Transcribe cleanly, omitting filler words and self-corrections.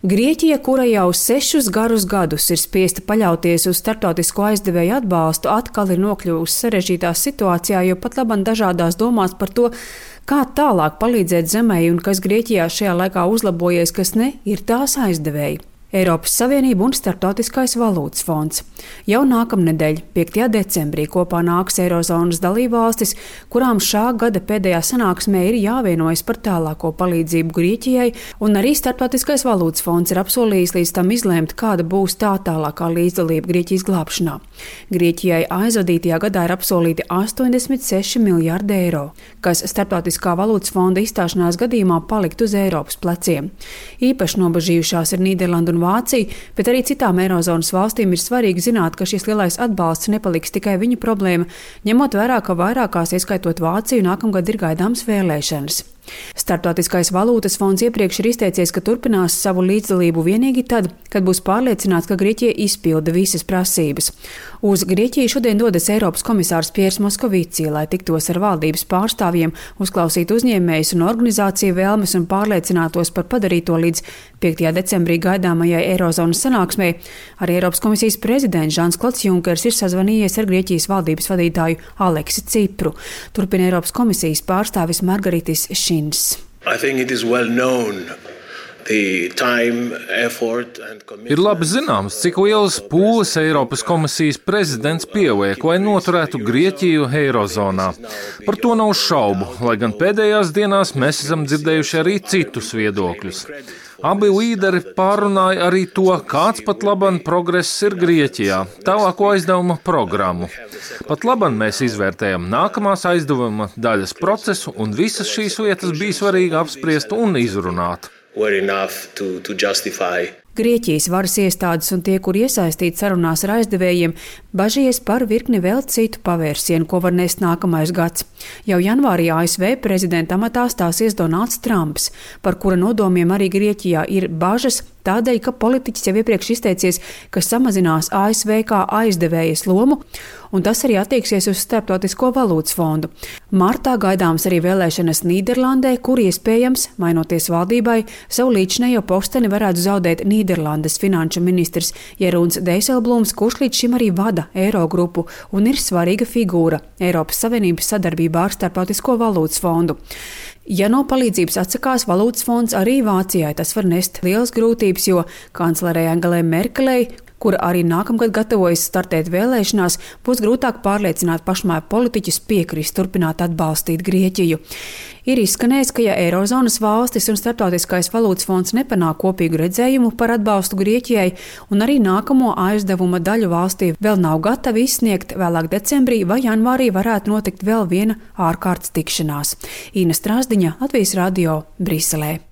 Grieķija, kura jau 6 garus gadus ir spiesta paļauties uz starptautisko aizdevēju atbalstu, atkal ir nokļuvusi sarežģītā situācijā, jo pat labam dažādās domās par to, kā tālāk palīdzēt zemei un kas Grieķijā šajā laikā uzlabojies, kas ne, ir tās aizdevēji. Eiropas Savienība un Starptautiskais valūtas fonds. Jau nākamnedēļ, 5. decembrī, kopā nāks Eirozonas dalībvalstis, kurām šā gada pēdējā sanāksmē ir jāvienojas par tālāko palīdzību Grieķijai, un arī Starptautiskais valūtas fonds ir apsolījis līdz tam izlēmt, kāda būs tā tālākā līdzdalība Grieķijas glābšanā. Grieķijai aizvadītajā gadā ir apsolīti 86 miljārdi eiro, kas Starptautiskā valūtas fonda izstāšanās gadījumā palikt uz Eiropas pleciem. Īpaši nobažījušās ir Nīderlanda un Vācija, bet arī citām Eirozonas valstīm ir svarīgi zināt, ka šis lielais atbalsts nepaliks tikai viņu problēma, ņemot vērā, ka vairākās, ieskaitot Vāciju, nākamgad ir gaidāmas vēlēšanas. Starptautiskais valūtas fonds iepriekš ir izteicies, ka turpinās savu līdzdalību vienīgi tad, kad būs pārliecināts, ka Grieķija izpilda visas prasības. Uz Grieķiju šodien dodas Eiropas komisārs Piers Moskovici, lai tiktos ar valdības pārstāvjiem, uzklausītu uzņēmējus un organizāciju vēlmes un pārliecinātos par padarīto līdz 5. decembrī gaidāmajai Eirozonas sanāksmei. Arī Eiropas komisijas prezidents Žans-Klods Junkers ir sazvanījies ar Grieķijas valdības vadītāju Aleksi Cipru. Turpina Eiropas komisijas pārstāvis Margaritis Šins. Ir labi zināms, cik lielas pūles Eiropas komisijas prezidents pieliek, lai noturētu Grieķiju Eirozonā. Par to nav šaubu, lai gan pēdējās dienās mēs esam dzirdējuši arī citus viedokļus. Abi līderi pārunāja arī to, kāds pat laban progress ir Grieķijā, tālāko aizdevuma programmu. Pat laban mēs izvērtējam nākamās aizdevuma daļas procesu, un visas šīs lietas bija svarīgi apspriest un izrunāt. Grieķijas varas iestādes un tie, kur iesaistīti sarunās ar aizdevējiem, bažījies par virkni vēl citu pavērsienu, ko var nest nākamais gads. Jau janvārī ASV prezidenta amatā stāsies Donalds Trumps, par kura nodomiem arī Grieķijā ir bažas, tādēļ, ka politiķis jau iepriekš izteicies, ka samazinās ASV kā aizdevējas lomu, un tas arī attieksies uz Starptautisko valūtas fondu. Martā gaidāms arī vēlēšanas Nīderlandē, kur iespējams, mainoties valdībai, savu līdzinējo posteni varētu zaudēt Nīderlandes finanšu ministrs Jeroens Dijsselbloems, kurš līdz šim arī vada Eirogrupu un ir svarīga figūra Eiropas Savienības sadarbībā ar Starptautisko valūtas fondu. Ja no palīdzības atsakās valūtas fonds, arī Vācijai tas var nest lielas grūtības, jo kanclerei Angelai Merkelei, kura arī nākamgad gatavojas startēt vēlēšanās, būs grūtāk pārliecināt pašmāju politiķus piekrist turpināt atbalstīt Grieķiju. Ir izskanējis, ka ja Eirozonas valstis un Starptautiskais valūtas fonds nepanāk kopīgu redzējumu par atbalstu Grieķijai un arī nākamo aizdevuma daļu valstī vēl nav gatavi izsniegt, vēlāk decembrī vai janvārī varētu notikt vēl viena ārkārtas tikšanās. Ina Strasdiņa, Latvijas radio, Briselē.